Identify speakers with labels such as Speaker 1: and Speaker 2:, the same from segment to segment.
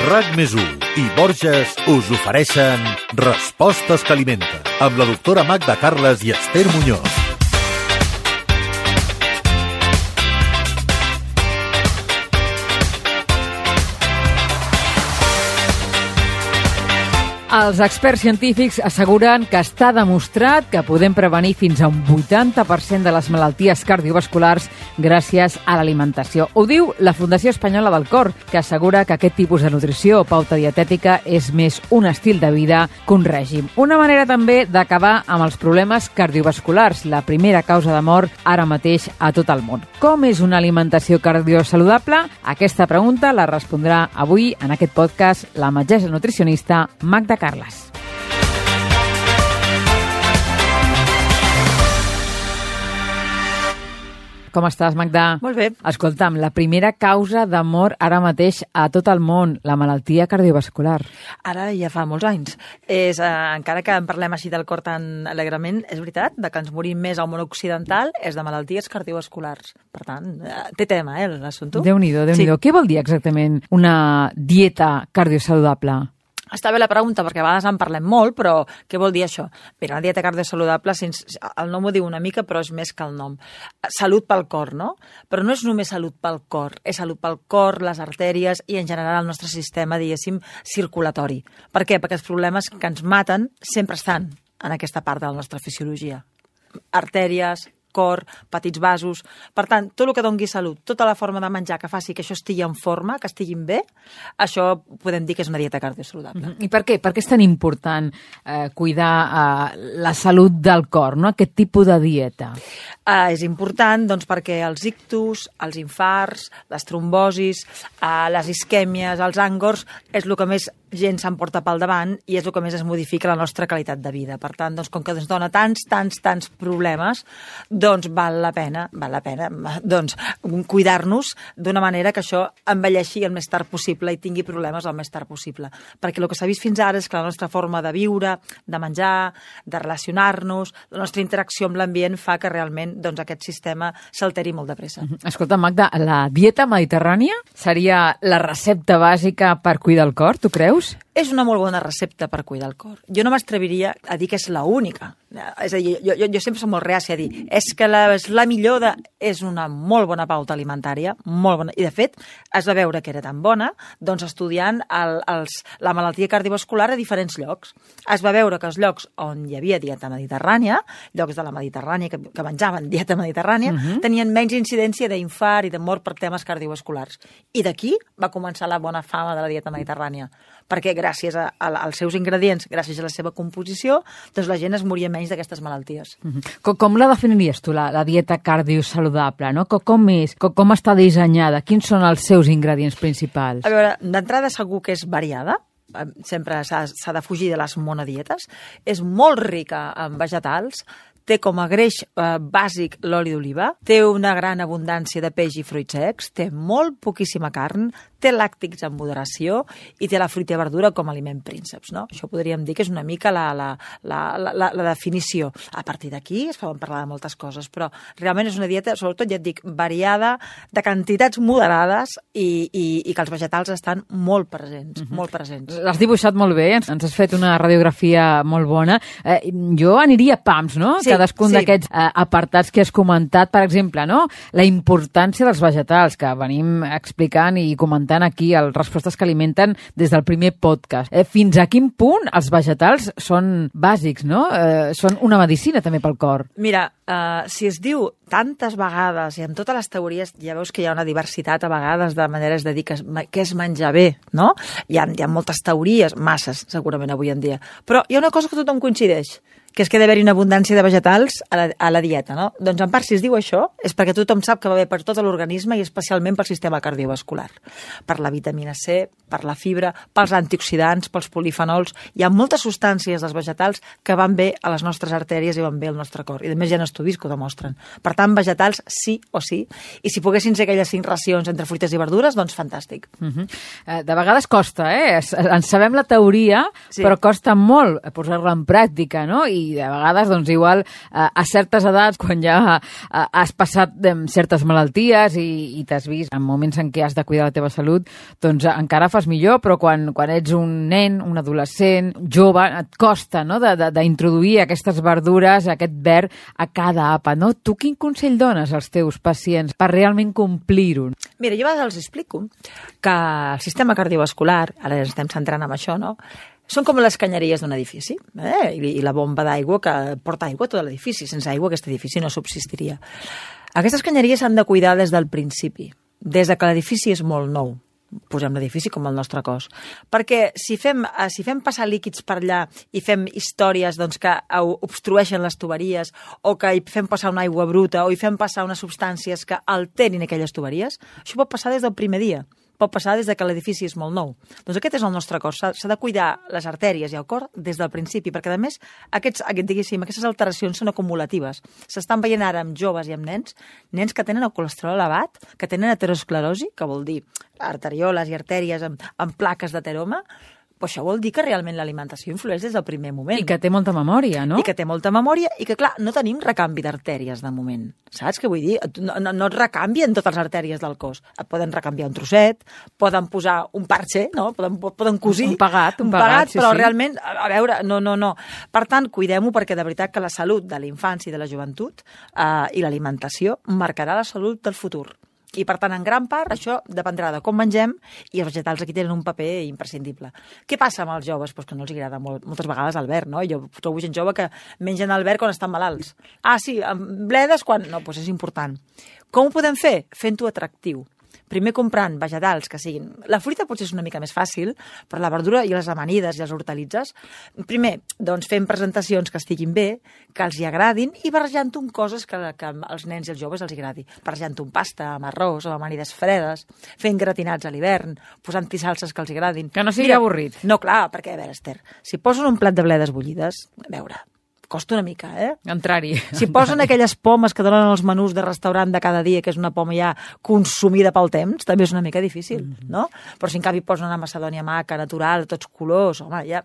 Speaker 1: RAC+1 i Borges us ofereixen Respostes que alimenten, amb la doctora Magda Carles i Esther Muñoz.
Speaker 2: Els experts científics asseguren que està demostrat que podem prevenir fins a un 80% de les malalties cardiovasculars gràcies a l'alimentació. Ho diu la Fundació Espanyola del Cor, que assegura que aquest tipus de nutrició o pauta dietètica és més un estil de vida que un règim. Una manera també d'acabar amb els problemes cardiovasculars, la primera causa de mort ara mateix a tot el món. Com és una alimentació cardiosaludable? Aquesta pregunta la respondrà avui en aquest podcast la metgessa nutricionista Magda Carles. Com estàs, Magda?
Speaker 3: Molt bé.
Speaker 2: Escolta'm, la primera causa de mort ara mateix a tot el món, la malaltia cardiovascular.
Speaker 3: Ara ja fa molts anys. Encara que en parlem així del cor tan alegrement, és veritat, de que ens morim més al món occidental és de malalties cardiovasculars. Per tant, té tema, l'assumpte.
Speaker 2: Déu-n'hi-do, Déu-n'hi-do. Sí. Què vol dir exactament una dieta cardiosaludable?
Speaker 3: Està bé la pregunta, perquè a vegades en parlem molt, però què vol dir això? Mira, una dieta cardiosaludable, el nom ho diu una mica, però és més que el nom. Salut pel cor, no? Però no és només salut pel cor, és salut pel cor, les artèries i en general el nostre sistema, diguéssim, circulatori. Per què? Perquè els problemes que ens maten sempre estan en aquesta part de la nostra fisiologia. Artèries, cor, petits vasos. Per tant, tot el que doni salut, tota la forma de menjar que faci que això estigui en forma, que estiguin bé, això podem dir que és una dieta cardiosaludable.
Speaker 2: I per què? Per què és tan important cuidar la salut del cor, no? Aquest tipus de dieta?
Speaker 3: És important doncs, perquè els ictus, els infarts, les trombosis, les isquèmies, els àngors, és el que més gent s'emporta pel davant i és el que més es modifica la nostra qualitat de vida. Per tant, doncs, com que ens dona tants problemes, doncs val la pena doncs, cuidar-nos d'una manera que això envelleixi el més tard possible i tingui problemes el més tard possible. Perquè el que s'ha vist fins ara és que la nostra forma de viure, de menjar, de relacionar-nos, la nostra interacció amb l'ambient fa que realment doncs, aquest sistema s'alteri molt de pressa.
Speaker 2: Escolta, Magda, la dieta mediterrània seria la recepta bàsica per cuidar el cor, tu creus?
Speaker 3: És una molt bona recepta per cuidar el cor. Jo no m'atreviria a dir que és la única. És a dir, jo sempre soc molt reàcia a dir és que la millor és una molt bona pauta alimentària, molt bona. I, de fet, es va veure que era tan bona doncs, estudiant la malaltia cardiovascular a diferents llocs. Es va veure que els llocs on hi havia dieta mediterrània, llocs de la Mediterrània que menjaven dieta mediterrània, tenien menys incidència d'infart i de mort per temes cardiovasculars. I d'aquí va començar la bona fama de la dieta mediterrània. Perquè gràcies als seus ingredients, gràcies a la seva composició, doncs la gent es moria menys d'aquestes malalties.
Speaker 2: Com la definiries tu, la dieta cardiosaludable? No? Com és? Com està dissenyada? Quins són els seus ingredients principals?
Speaker 3: A veure, d'entrada segur que és variada, sempre s'ha de fugir de les monodietes, és molt rica en vegetals, té com a greix bàsic l'oli d'oliva, té una gran abundància de peix i fruits secs, té molt poquíssima carn, té làctics en moderació i té la fruita i verdura com a aliment prínceps. No? Això podríem dir que és una mica la definició. A partir d'aquí es poden parlar de moltes coses, però realment és una dieta, sobretot ja et dic, variada, de quantitats moderades i que els vegetals estan molt presents, molt presents.
Speaker 2: L'has dibuixat molt bé, ens has fet una radiografia molt bona. Jo aniria a pams, no? Sí. Cadascun d'aquests apartats que has comentat, per exemple, no? La importància dels vegetals, que venim explicant i comentant aquí els Respostes que alimenten des del primer podcast. Fins a quin punt els vegetals són bàsics, no? Són una medicina també pel cor.
Speaker 3: Mira, si es diu tantes vegades i en totes les teories ja veus que hi ha una diversitat a vegades de maneres de dir què és menjar bé, no? Hi ha moltes teories, masses segurament avui en dia, però hi ha una cosa que tothom coincideix, que és que ha d'haver-hi una abundància de vegetals a la dieta, no? Doncs en part, si es diu això, és perquè tothom sap que va bé per tot l'organisme i especialment pel sistema cardiovascular. Per la vitamina C, per la fibra, pels antioxidants, pels polifenols. Hi ha moltes substàncies dels vegetals que van bé a les nostres artèries i van bé al nostre cor. I a més hi ha estudis que ho demostren. Per tant, vegetals sí o sí. I si poguessin ser aquelles 5 racions entre fruites i verdures, doncs fantàstic.
Speaker 2: De vegades costa, En sabem la teoria, sí, però costa molt posar-la en pràctica, no? I i de vegades, doncs, igual, a certes edats, quan ja has passat certes malalties i t'has vist en moments en què has de cuidar la teva salut, doncs encara fas millor, però quan ets un nen, un adolescent, jove, et costa, no?, d'introduir aquestes verdures, aquest verd a cada àpat, no? Tu quin consell dones als teus pacients per realment complir-ho?
Speaker 3: Mira, jo a vegades els explico que el sistema cardiovascular, ara ens estem centrant en això, no?, són com les canyeries d'un edifici, i la bomba d'aigua que porta aigua a tot l'edifici. Sense aigua aquest edifici no subsistiria. Aquestes canyeries s'han de cuidar des del principi, des de que l'edifici és molt nou. Posem l'edifici com el nostre cos. Perquè si fem passar líquids per allà i fem històries doncs, que obstrueixen les tuberies o que hi fem passar una aigua bruta o hi fem passar unes substàncies que alterin aquelles tuberies, això pot passar des del primer dia. Pot passar des de que l'edifici és molt nou. Doncs aquest és el nostre cos. S'ha de cuidar les artèries i el cor des del principi, perquè a més aquestes alteracions són acumulatives. S'estan veient ara amb joves i amb nens que tenen el colesterol elevat, que tenen aterosclerosi, que vol dir arterioles i artèries amb plaques d'ateroma. Però això vol dir que realment l'alimentació influeix des del primer moment.
Speaker 2: I que té molta memòria, no?
Speaker 3: I que té molta memòria i que, clar, no tenim recanvi d'artèries de moment. Saps què vull dir? No et recanvien totes les artèries del cos. Et poden recanviar un trosset, poden posar un parche, no? Poden cosir.
Speaker 2: Un pagat, sí,
Speaker 3: però
Speaker 2: sí.
Speaker 3: realment, a veure, no. Per tant, cuidem-ho perquè de veritat que la salut de la infància i de la joventut i l'alimentació marcarà la salut del futur. I, per tant, en gran part, això dependrà de com mengem i els vegetals aquí tenen un paper imprescindible. Què passa amb els joves? Pues que no els agrada moltes vegades el verd, no? Jo trobo gent jove que mengen el verd quan estan malalts. Ah, sí, amb bledes quan... No, doncs és important. Com ho podem fer? Fent-ho atractiu. Primer comprant vegetals que siguin... La fruita potser és una mica més fàcil, però la verdura i les amanides i les hortalitzes, primer, doncs fent presentacions que estiguin bé, que els hi agradin i barrejant-ho amb coses que als nens i als joves els agradi. Barrejant-ho amb pasta, amb arròs, amb amanides fredes, fent gratinats a l'hivern, posant-hi salses que els agradin.
Speaker 2: Que no sigui avorrit.
Speaker 3: No, clar, perquè, a veure, Esther, si posen un plat de bledes bullides, a veure... costa una mica,
Speaker 2: Entrar-hi.
Speaker 3: Si posen aquelles pomes que donen els menús de restaurant de cada dia, que és una poma ja consumida pel temps, també és una mica difícil, no? Però si en canvi posen una macedònia maca, natural, tots colors, home, ja...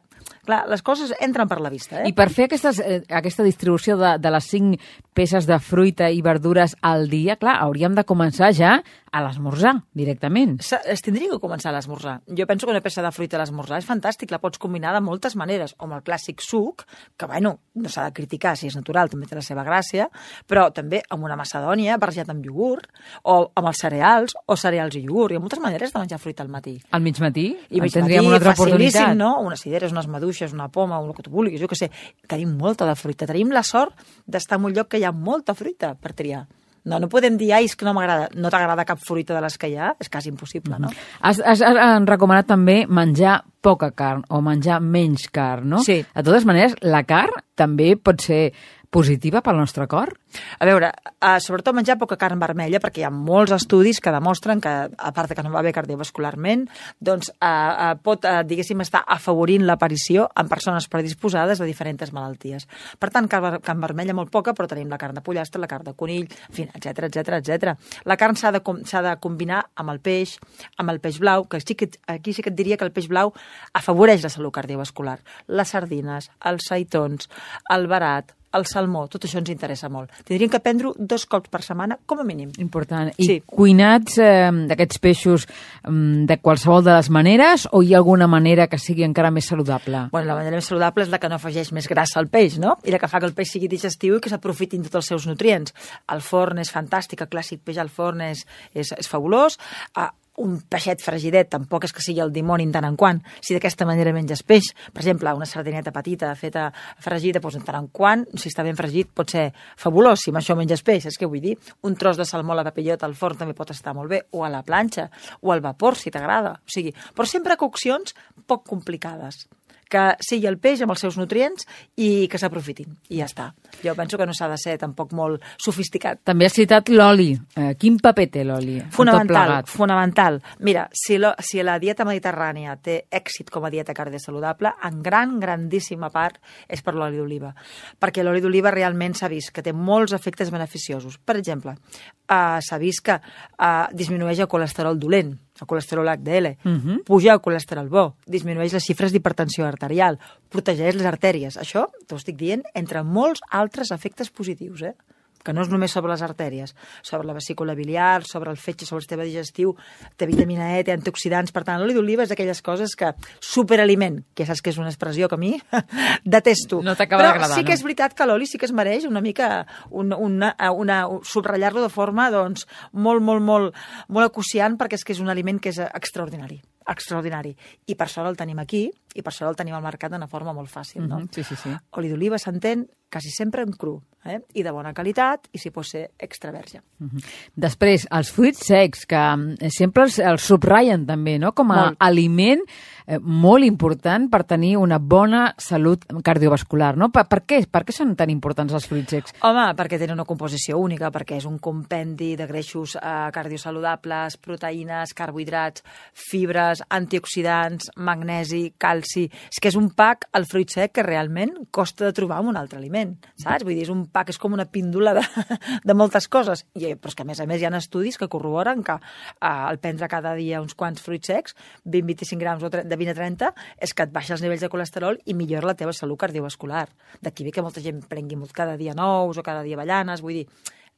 Speaker 3: Clar, les coses entren per la vista,
Speaker 2: I per fer aquesta distribució de les 5 peces de fruita i verdures al dia, clar, hauríem de començar ja a l'esmorzar, directament.
Speaker 3: Es tindria que començar a l'esmorzar. Jo penso que una peça de fruita a l'esmorzar és fantàstic, la pots combinar de moltes maneres, o amb el clàssic suc, que, bueno, no s'ha de criticar si és natural, també té la seva gràcia, però també amb una macedònia barrejat amb iogurt, o amb els cereals, o cereals i iogurt. Hi ha moltes maneres de menjar fruita al matí.
Speaker 2: Al migmatí?
Speaker 3: I
Speaker 2: tindríem una altra oportunitat.
Speaker 3: No? Unes cireres, unes maduixes, una poma, el que tu vulguis, jo què sé. Tenim molta de fruita. Tenim la sort d'estar en un lloc que hi ha molta fruita per triar. No podem dir, és que no m'agrada. No t'agrada cap fruita de les que hi ha? És quasi impossible, no?
Speaker 2: Has recomanat també menjar poca carn o menjar menys carn, no?
Speaker 3: Sí.
Speaker 2: De totes maneres, la carn també pot ser positiva pel nostre cor?
Speaker 3: A veure, sobretot menjar poca carn vermella, perquè hi ha molts estudis que demostren que, a part que no va bé cardiovascularment, doncs pot, diguéssim, estar afavorint l'aparició en persones predisposades a diferents malalties. Per tant, carn vermella molt poca, però tenim la carn de pollastre, la carn de conill, en fi, etcètera. La carn s'ha de combinar amb el peix blau, que aquí sí que et diria que el peix blau afavoreix la salut cardiovascular. Les sardines, els seitons, el verat, el salmó, tot això ens interessa molt. Tindríem que prendre 2 cops per setmana, com a mínim.
Speaker 2: Important. I cuinats d'aquests peixos de qualsevol de les maneres o hi ha alguna manera que sigui encara més saludable?
Speaker 3: Bueno, la manera més saludable és la que no afegeix més grassa al peix, no? I la que fa que el peix sigui digestiu i que s'aprofitin tots els seus nutrients. El forn és fantàstic, el clàssic peix al forn és fabulós. Un peixet fregidet tampoc és que sigui el dimoni en tant en quant. Si d'aquesta manera menges peix, per exemple, una sardineta petita feta fregida, doncs en tant en quant, si està ben fregit, pot ser fabulós si amb això menges peix. És que vull dir, un tros de salmó a la papillota al forn també pot estar molt bé, o a la planxa, o al vapor, si t'agrada. O sigui, però sempre coccions poc complicades, que sigui el peix amb els seus nutrients i que s'aprofitin. I ja està. Jo penso que no s'ha de ser tampoc molt sofisticat.
Speaker 2: També has citat l'oli. Quin paper té l'oli?
Speaker 3: Fonamental. Mira, si la dieta mediterrània té èxit com a dieta cardiosaludable, en grandíssima part és per l'oli d'oliva. Perquè l'oli d'oliva realment s'ha vist que té molts efectes beneficiosos. Per exemple, s'ha vist que disminueix el colesterol dolent, el colesterol HDL, puja el colesterol bo, disminueix les xifres d'hipertensió arterial, protegeix les artèries. Això t'ho estic dient entre molts altres efectes positius, que no és només sobre les artèries, sobre la vesícula biliar, sobre el fetge, sobre el sistema digestiu, té vitamina E, té antioxidants. Per tant, l'oli d'oliva és d'aquelles coses que superaliment, que saps que és una expressió que a mi detesto.
Speaker 2: No t'acaba d'agradar,
Speaker 3: sí que és veritat que l'oli sí que es mereix una mica subratllar-lo de forma doncs, molt acuciant, perquè és que és un aliment que és extraordinari. I per sort el tenim aquí, i per sort el tenim al mercat d'una forma molt fàcil, no?
Speaker 2: Sí.
Speaker 3: Oli d'oliva s'entén quasi sempre en cru, i de bona qualitat, i si pot ser extra verge.
Speaker 2: Després, els fruits secs, que sempre els subratllen també, no? Com a aliment molt important per tenir una bona salut cardiovascular, no? Per què són tan importants els fruits secs?
Speaker 3: Home, perquè tenen una composició única, perquè és un compendi de greixos cardiosaludables, proteïnes, carbohidrats, fibres, antioxidants, magnesi, calci... És que és un pack, el fruit sec, que realment costa de trobar en un altre aliment, saps? Vull dir, és un pack, és com una píndola de moltes coses. Però és que, a més hi ha estudis que corroboren que al prendre cada dia uns quants fruits secs, 20-25 grams de 20 a 30, és que et baixa els nivells de colesterol i millora la teva salut cardiovascular. D'aquí ve que molta gent prengui cada dia nous o cada dia avellanes, vull dir,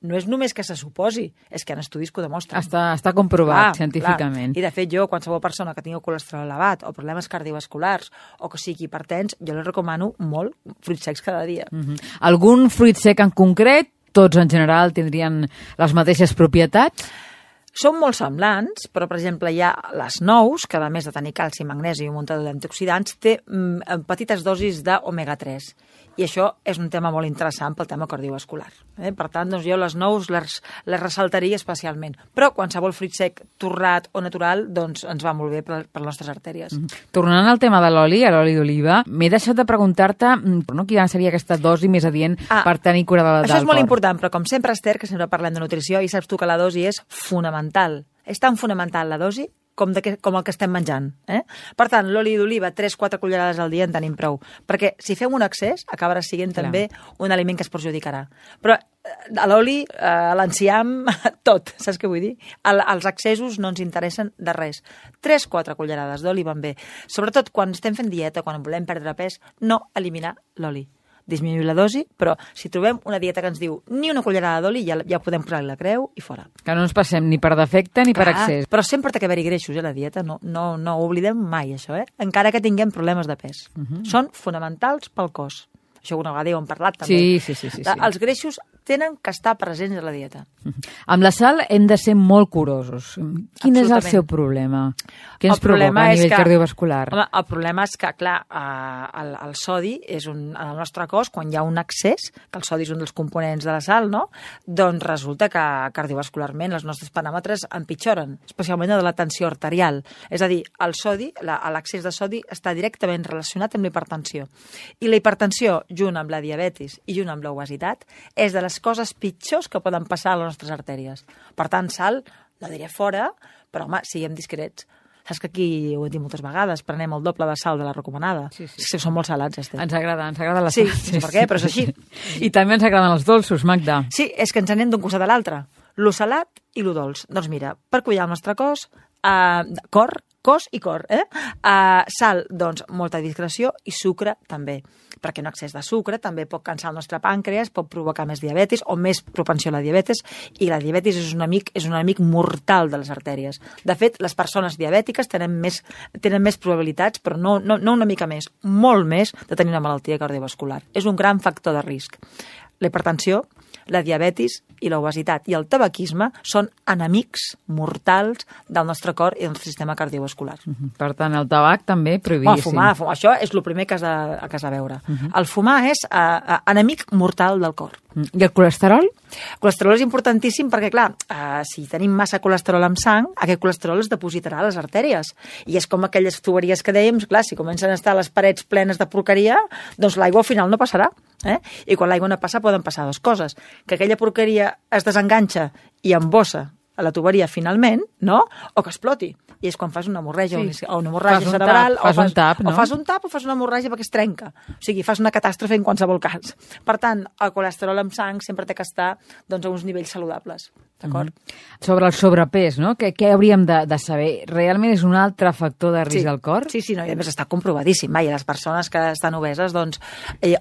Speaker 3: no és només que se suposi, és que hi ha estudis que ho demostren.
Speaker 2: Està comprovat científicament.
Speaker 3: I de fet jo, qualsevol persona que tingui colesterol elevat o problemes cardiovasculars o que sigui hipertens, jo li recomano molt fruits secs cada dia.
Speaker 2: Algun fruit sec en concret? Tots en general tindrien les mateixes propietats?
Speaker 3: Són molt semblants, però, per exemple, hi ha les nous, que a més de tenir calci, magnesi i un munt d'antioxidants, té petites dosis d'omega-3. I això és un tema molt interessant pel tema cardiovascular. Per tant, doncs, jo les nous les ressaltaria especialment. Però qualsevol fruit sec torrat o natural doncs, ens va molt bé per les nostres artèries.
Speaker 2: Tornant al tema de l'oli, a l'oli d'oliva, m'he deixat de preguntar-te quina seria aquesta dosi més adient per tenir cura del cor.
Speaker 3: Això és molt important, però com sempre, Esther, que sempre parlem de nutrició, i saps tu que la dosi és fonamental. És tan fonamental la dosi com el que estem menjant. Per tant, l'oli d'oliva, 3-4 cullerades al dia en tenim prou, perquè si fem un excés acabarà sent també un aliment que es perjudicarà. Però a l'oli, a l'enciam, tot, saps què vull dir? Els excessos no ens interessen de res. 3-4 cullerades d'oli van bé. Sobretot quan estem fent dieta, quan volem perdre pes, no eliminar l'oli. Disminuir la dosi, però si trobem una dieta que ens diu ni una cullerada d'oli, ja podem posar-li la creu i fora.
Speaker 2: Que no ens passem ni per defecte ni per excés.
Speaker 3: Però sempre té que haver-hi greixos, la dieta, no ho oblidem mai, això, encara que tinguem problemes de pes. Són fonamentals pel cos. Això una vegada ho hem parlat, també.
Speaker 2: Sí.
Speaker 3: Els greixos tenen que estar presents a la dieta.
Speaker 2: Amb la sal hem de ser molt curosos. Quin és el seu problema? Què ens provoca a nivell cardiovascular?
Speaker 3: Home, el problema és que, clar, el sodi és en el nostre cos, quan hi ha un excés, que el sodi és un dels components de la sal, no? Doncs resulta que cardiovascularment els nostres paràmetres empitjoren, especialment de la tensió arterial. És a dir, el sodi, l'excés de sodi està directament relacionat amb la hipertensió. I la hipertensió, junt amb la diabetis i junt amb l'obesitat, és de les coses pitjors que poden passar a les nostres artèries. Per tant, sal, la diré fora, però, home, siguem discrets. Saps que aquí ho hem dit moltes vegades, prenem el doble de sal de la recomanada. Sí. Són molt salats, Esther.
Speaker 2: Ens agrada la sal.
Speaker 3: Sí, per què? Però és així.
Speaker 2: I també ens agraden els dolços, Magda.
Speaker 3: Sí, és que ens anem d'un costat a l'altre. Lo salat i lo dolç. Doncs mira, per cuidar el nostre cos i cor, sal, doncs, molta discreció, i sucre també, perquè un excés de sucre també pot cansar el nostre pàncreas, pot provocar més diabetis o més propensió a la diabetis, i la diabetis és un enemic mortal de les artèries. De fet, les persones diabètiques tenen més probabilitats, però no una mica més, molt més, de tenir una malaltia cardiovascular. És un gran factor de risc. La hipertensió, la diabetis i l'obesitat i el tabaquisme són enemics mortals del nostre cor i del nostre sistema cardiovascular.
Speaker 2: Per tant, el tabac també prohibíssim.
Speaker 3: Fumar, això és el primer que has de veure. El fumar és enemic mortal del cor.
Speaker 2: I el colesterol?
Speaker 3: El colesterol és importantíssim perquè, clar, si tenim massa colesterol en sang, aquest colesterol es depositarà a les artèries. I és com aquelles tuberies que dèiem, clar, si comencen a estar les parets plenes de porqueria, doncs l'aigua al final no passarà. I quan l'aigua no passa poden passar dues coses. Que aquella porqueria es desenganxa i embossa a la tuberia finalment, no? O que exploti. I és quan fas una hemorràgia, o una hemorràgia cerebral,
Speaker 2: o fas un tap, no?
Speaker 3: O fas un tap o fas una hemorràgia perquè es trenca. O sigui, fas una catàstrofe en qualsevol cas. Per tant, el colesterol amb sang sempre té que estar doncs, a uns nivells saludables. D'acord?
Speaker 2: Sobre el sobrepès, no? Què hauríem de saber? Realment és un altre factor de risc al cor?
Speaker 3: Sí, no, i a més està comprovadíssim. I les persones que estan obeses doncs,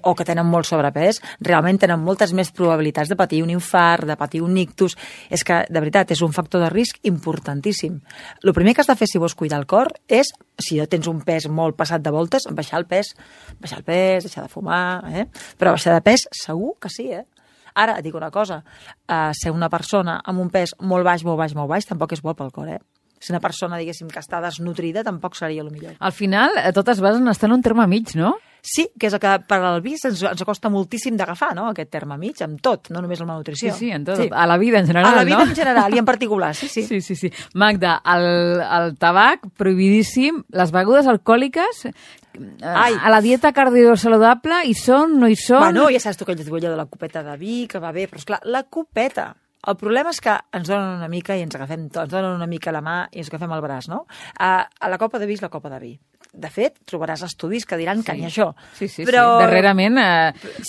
Speaker 3: o que tenen molt sobrepès realment tenen moltes més probabilitats de patir un infart, de patir un ictus. És que, de veritat, és un factor de risc importantíssim. El primer que has de fer si vols cuidar el cor és, si tens un pes molt passat de voltes, baixar el pes, deixar de fumar, però baixar de pes segur que sí, Ara, et dic una cosa, ser una persona amb un pes molt baix, tampoc és bo pel cor, Si una persona, diguéssim, que està desnutrida, tampoc seria el millor.
Speaker 2: Al final, totes basen estan en un terme mig, no?
Speaker 3: Sí, que és el que per al vi ens costa moltíssim d'agafar, no?, aquest terme mig, amb tot, no només amb la nutrició.
Speaker 2: Sí, en tot. Sí. A la vida en general,
Speaker 3: no? A la vida
Speaker 2: en
Speaker 3: general i en particular, sí.
Speaker 2: Sí. Magda, el tabac, prohibidíssim, les begudes alcohòliques, a la dieta cardiosaludable, hi són, no hi són?
Speaker 3: Bueno, ja saps tu que ell diu allò de la copeta de vi, que va bé, però esclar, la copeta... El problema és que ens donen una mica i ens agafem tot, ens donen una mica la mà i ens agafem el braç, no? A la copa de vi és la copa de vi. De fet, trobaràs estudis que diran que ni això.
Speaker 2: Sí. Darrerament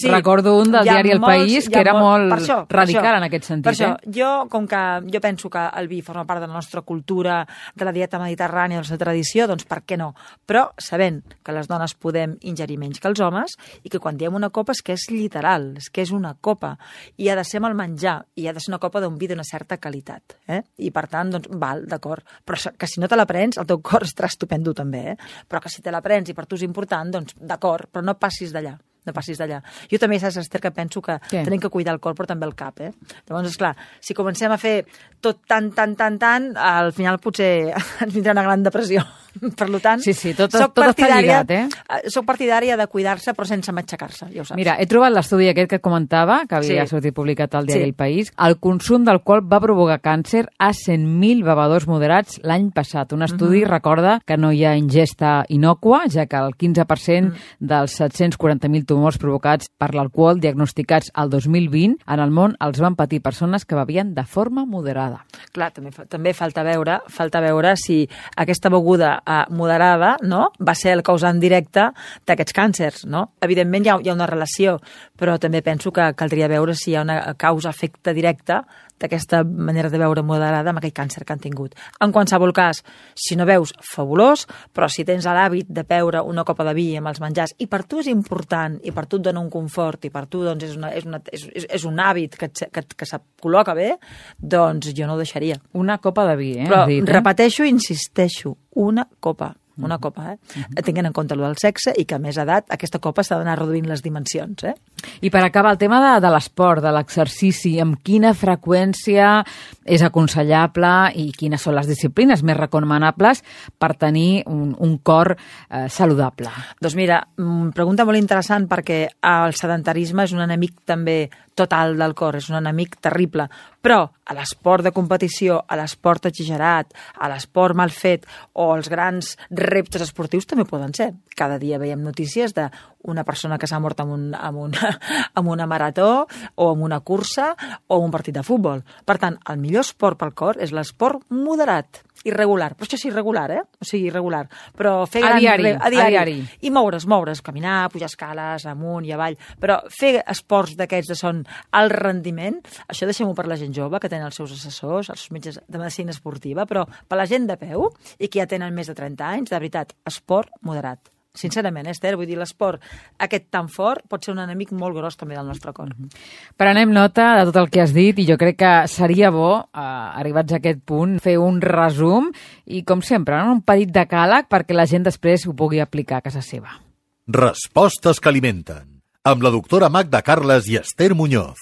Speaker 2: recordo un del diari El País que era molt radical en aquest sentit.
Speaker 3: Per això, jo penso que el vi forma part de la nostra cultura, de la dieta mediterrània, de la nostra tradició, doncs per què no? Però sabent que les dones podem ingerir menys que els homes i que quan diem una copa és que és literal, és que és una copa i ha de ser amb el menjar i ha de ser una copa d'un vi d'una certa qualitat. I per tant, doncs, val, d'acord. Però que si no te la prens, el teu cor estarà estupendo també, però que si te la prens i per tu és important, doncs d'acord, però no passis d'allà. Jo també, saps, Esther, que penso que tenim que cuidar el cor, però també el cap, Llavors, esclar, si comencem a fer tot tant, al final potser ens vindrà una gran depressió. Per tant,
Speaker 2: tot està lligat,
Speaker 3: Soc partidària de cuidar-se, però sense matxacar-se, ja ho saps.
Speaker 2: Mira, he trobat l'estudi aquest que comentava, que havia sortit publicat al diari El País. El consum d'alcohol va provocar càncer a 100.000 bevedors moderats l'any passat. Un estudi recorda que no hi ha ingesta innòcua, ja que el 15% dels 740.000 tumors provocats per l'alcohol diagnosticats al 2020 en el món els van patir persones que bevien de forma moderada.
Speaker 3: Clar, també falta veure si aquesta beguda moderada, no?, va ser el causant directe d'aquests càncers, no? Evidentment hi ha una relació, però també penso que caldria veure si hi ha una causa-efecte directa d'aquesta manera de beure moderada amb aquell càncer que han tingut. En qualsevol cas, si no veus, fabulós, però si tens l'hàbit de beure una copa de vi amb els menjars i per tu és important, i per tu et dona un confort, i per tu doncs, és un hàbit que se't col·loca bé, doncs jo no ho deixaria.
Speaker 2: Una copa de vi,
Speaker 3: Però repeteixo i insisteixo, una copa, tenint en compte el del sexe i que a més edat aquesta copa s'ha d'anar reduint les dimensions.
Speaker 2: I per acabar, el tema de l'esport, de l'exercici, amb quina freqüència és aconsellable i quines són les disciplines més recomanables per tenir un cor saludable?
Speaker 3: Doncs mira, pregunta molt interessant perquè el sedentarisme és un enemic també total del cor, és un enemic terrible, però a l'esport de competició, a l'esport exagerat, a l'esport mal fet o els grans reptes esportius també poden ser. Cada dia veiem notícies d'una persona que s'ha mort amb una marató o amb una cursa o un partit de futbol. Per tant, el millor esport pel cor és l'esport moderat, irregular. Però això és irregular, O sigui, irregular. Però fer
Speaker 2: a diari.
Speaker 3: I moure's, caminar, pujar escales, amunt i avall. Però fer esports d'aquests que són alt rendiment, això deixem-ho per la gent jove, que tenen els seus assessors, els metges de medicina esportiva, però per la gent de peu i que ja tenen més de 30 anys, de veritat, esport moderat. Sincerament, Esther, vull dir, l'esport aquest tan fort pot ser un enemic molt gros també del nostre cor.
Speaker 2: Prenem nota de tot el que has dit i jo crec que seria bo, arribats a aquest punt, fer un resum i, com sempre, un petit decàleg perquè la gent després ho pugui aplicar a casa seva.
Speaker 1: Respostes que alimenten, amb la doctora Magda Carles i Esther Muñoz.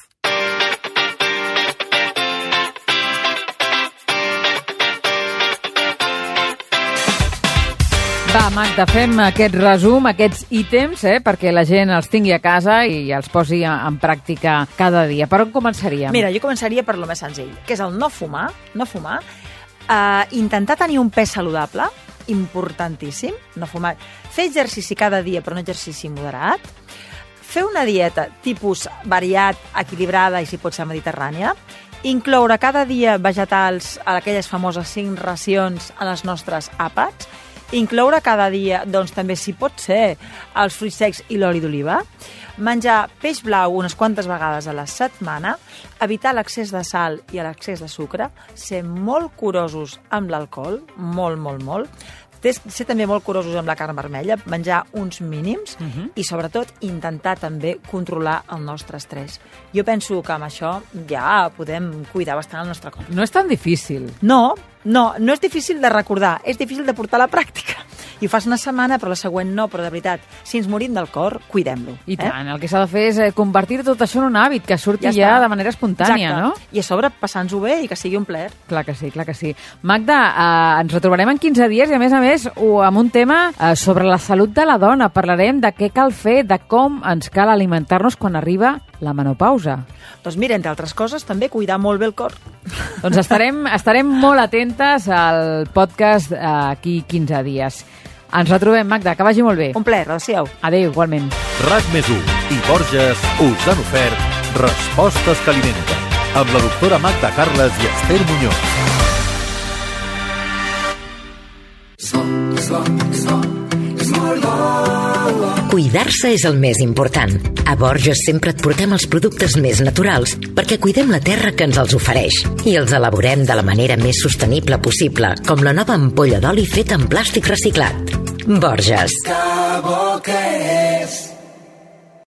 Speaker 2: Va, Magda, fem aquest resum, aquests ítems, perquè la gent els tingui a casa i els posi en pràctica cada dia. Per on començaríem?
Speaker 3: Mira, jo començaria per lo més senzill, que és el no fumar, intentar tenir un pes saludable, importantíssim, no fumar, fer exercici cada dia, però un exercici moderat, fer una dieta tipus variat, equilibrada i si pot ser mediterrània, incloure cada dia vegetals a aquelles famoses 5 racions a les nostres àpats, incloure cada dia, doncs també si pot ser, els fruits secs i l'oli d'oliva, menjar peix blau unes quantes vegades a la setmana, evitar l'excés de sal i l'excés de sucre, ser molt curosos amb l'alcohol, molt, ser també molt curosos amb la carn vermella, menjar uns mínims i, sobretot, intentar també controlar el nostre estrès. Jo penso que amb això ja podem cuidar bastant el nostre cor.
Speaker 2: No és tan difícil.
Speaker 3: No és difícil de recordar, és difícil de portar a la pràctica. I ho fas una setmana, però la següent no, però de veritat, si ens morim del cor, cuidem-lo.
Speaker 2: I tant, el que s'ha de fer és convertir tot això en un hàbit, que surti ja de manera espontània, no?
Speaker 3: I a sobre passar-nos-ho bé i que sigui un plaer.
Speaker 2: Clar que sí. Magda, ens retrobarem en 15 dies i, a més, amb un tema sobre la salut de la dona. Parlarem de què cal fer, de com ens cal alimentar-nos quan arriba la menopausa.
Speaker 3: Doncs mira, entre altres coses, també cuidar molt bé el cor.
Speaker 2: Doncs estarem molt atentes al podcast aquí 15 dies. Ens retrobem, Magda, que vagi molt bé.
Speaker 3: Un plaer, adéu.
Speaker 2: Adéu, igualment.
Speaker 1: RAC+1 i Borges us han ofert Respostes que alimenten, amb la doctora Magda Carles i Esther Muñoz.
Speaker 4: Cuidar-se és el més important. A Borges sempre et portem els productes més naturals perquè cuidem la terra que ens els ofereix i els elaborem de la manera més sostenible possible, com la nova ampolla d'oli feta en plàstic reciclat. Borges. Que bo que és.